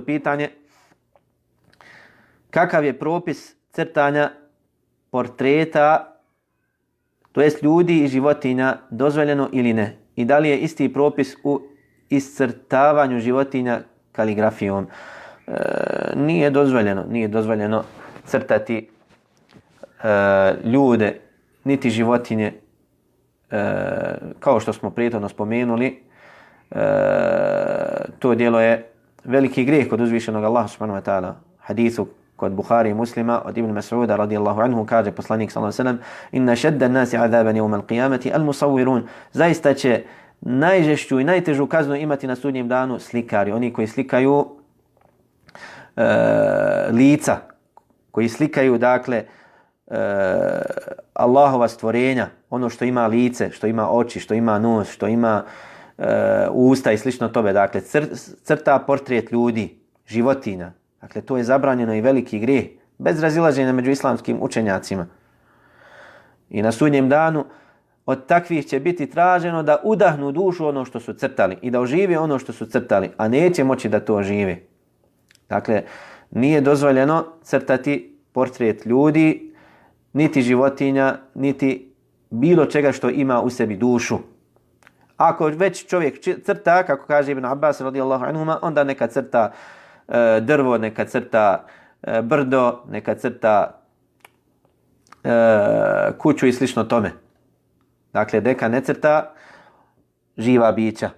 pitanje kakav je propis crtanja portreta, to jest ljudi i životinja, dozvoljeno ili ne? I da li je isti propis u iscrtavanju životinja kaligrafijom? Nije dozvoljeno crtati ljude niti životinje, kao što smo prethodno spomenuli. To djelo je veliki grijeh kod uzvišenog Allaha subhanahu wa ta'ala. Hadisu kod Buhari i Muslima od Ibn Mas'uda radijallahu anhu kaže poslanik sallallahu alejhi ve sellem: "Inna shadda an-nasi 'adaban yawm al-qiyamati al-musawwirun." Zaista će najžešću i najtežu kaznu imati na sudnjem danu slikari, oni koji slikaju lica, koji slikaju dakle Allahova stvorenja, ono što ima lice, što ima oči, što ima nos, što ima usta i slično tome. Dakle, crta portret ljudi, životinja. Dakle, to je zabranjeno i veliki grijeh, bez razilaženja među islamskim učenjacima. I na sudnjem danu od takvih će biti traženo da udahnu dušu ono što su crtali i da ožive ono što su crtali, a neće moći da to ožive. Dakle, nije dozvoljeno crtati portret ljudi, niti životinja, niti bilo čega što ima u sebi dušu. Ako već čovjek crta, kako kaže Ibn Abbas radijallahu anhuma, onda neka crta drvo, neka crta brdo, neka crta kuću i slično tome. Dakle, neka ne crta živa bića.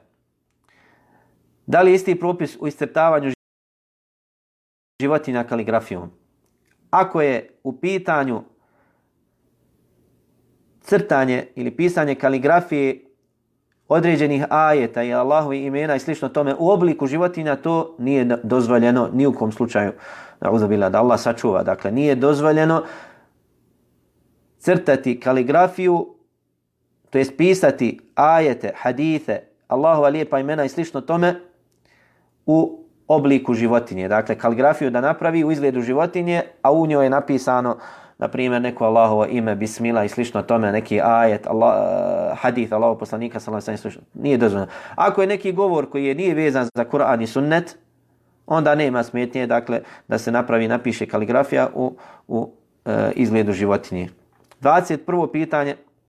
Da li je isti propis u iscrtavanju životinja kaligrafijom? Ako je u pitanju crtanje ili pisanje kaligrafije određenih ajeta i Allahovi imena i slično tome u obliku životinja, to nije dozvoljeno ni u kom slučaju. Na'udzubillah, da Allah sačuva. Dakle, nije dozvoljeno crtati kaligrafiju, to jest pisati ajete, hadithe, Allahova lijepa imena i slično tome u obliku životinje. Dakle, kaligrafiju da napravi u izgledu životinje, a u njoj je napisano, na primjer, neko Allahovo ime, bismila i slično tome, neki ajet, hadith Allahov poslanika sallallahu alejhi ve sellem, nije dozvoljeno. Ako je neki govor koji nije vezan za Kur'an i sunnet, onda nema smetnje, dakle, da se napiše kaligrafija u izgledu životinje. 21. pitanje.